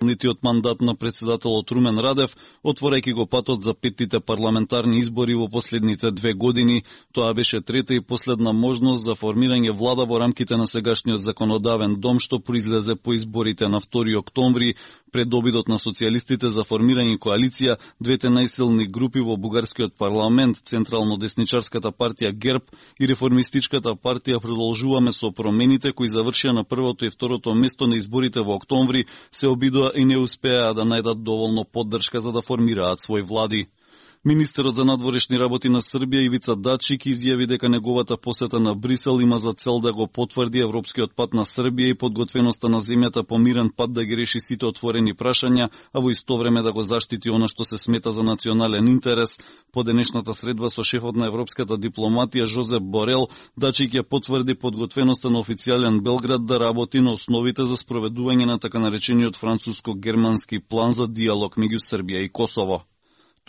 Нитиот мандат на председателот Румен Радев, отворајќи го патот за петтите парламентарни избори во последните 2 години. Тоа беше трета и последна можност за формирање влада во рамките на сегашниот законодавен дом, што произлезе по изборите на 2 октомври. Пред обидот на социјалистите за формирање коалиција, двете најсилни групи во бугарскиот парламент, Централно-десничарската партија ГЕРБ и Реформистичката партија продолжуваме со промените кои завршија на првото и второто место на изборите во октомври, се обидува и не успеа да најдат доволно поддршка за да формираат своји влади. Министерот за надворешни работи на Србија Ивица Дачик изјави дека неговата посета на Брисел има за цел да го потврди европскиот пат на Србија и подготвеноста на земјата по мирен пат да ги реши сите отворени прашања, а во исто време да го заштити она што се смета за национален интерес. По денешната средба со шефот на европската дипломатија Жозеп Борел, Дачик ја потврди подготвеноста на официјален Белград да работи на основите за спроведување на така наречениот француско-германски план за диалог меѓу Србија и Косово.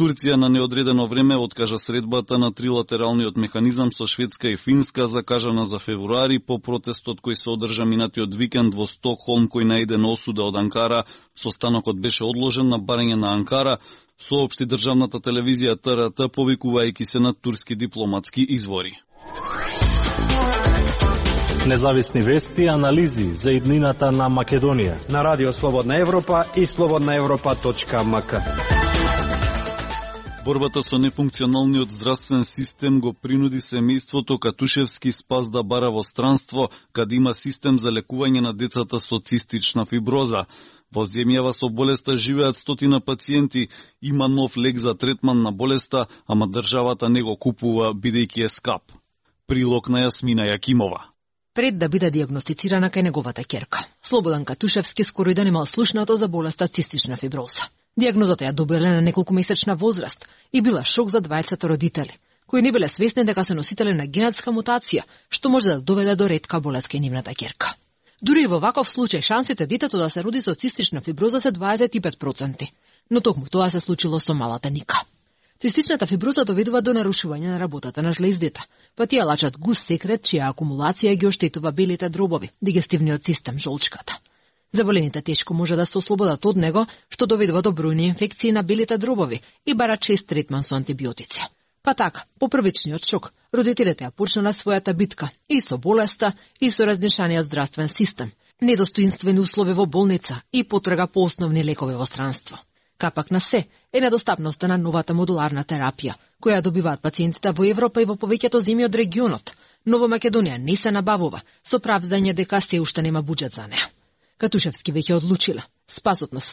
Турција на неодредено време откажа средбата на трилатералниот механизам со Шведска и Финска, закажана за февруари по протестот кој се одржа минатиот викенд во Стокхолм, кој најде на осуда од Анкара. Состанокот беше одложен на барање на Анкара, соопшти државната телевизија ТРТ, повикувајќи се на турски дипломатски извори. Независни вести и анализи за иднината на Македонија на Радио Слободна Европа и slobodnaevropa.mk. Борбата со нефункционалниот здравствен систем го принуди семејството Катушевски Спас да бара во странство, каде има систем за лекување на децата со цистична фиброза. Во земјава со болеста живеат 100 пациенти, има нов лек за третман на болеста, ама државата не го купува бидејќи е скап. Прилог на Јасмина Јакимова. Пред да биде диагностицирана кај неговата ќерка, Слободан Катушевски скоро и да немал слушнато за болеста цистична фиброза. Диагнозата ја добила на неколкумесечна возраст и била шок за двајцата родители, кои не биле свесни дека се носители на генетска мутација, што може да доведе до ретка болест кај нивната ќерка. Дури и во ваков случај шансите детето да се роди со цистична фиброза се 25%, но токму тоа се случило со малата Ника. Цистичната фиброза доведува до нарушување на работата на жлездите, па тие лачат густ секрет чија акумулација ги оштетува белите дробови, дигестивниот систем, жолчката. Заболените тешко може да се ослободат од него, што доведува до бројни инфекции на белите дробови и бара чест третман со антибиотици. Па така, по првичниот шок, родителите ја почнале својата битка и со болеста, и со разнешаниот здравствен систем, недостоинствени услови во болница и потрага по основни лекови во странство. Капак на се е недостапноста на новата модуларна терапија, која добиваат пациентите во Европа и во повеќето земји од регионот, но во Македонија не се набавува, со правдање дека се уште нема буџет за неа. Катушевски веќе одлучила, спасот на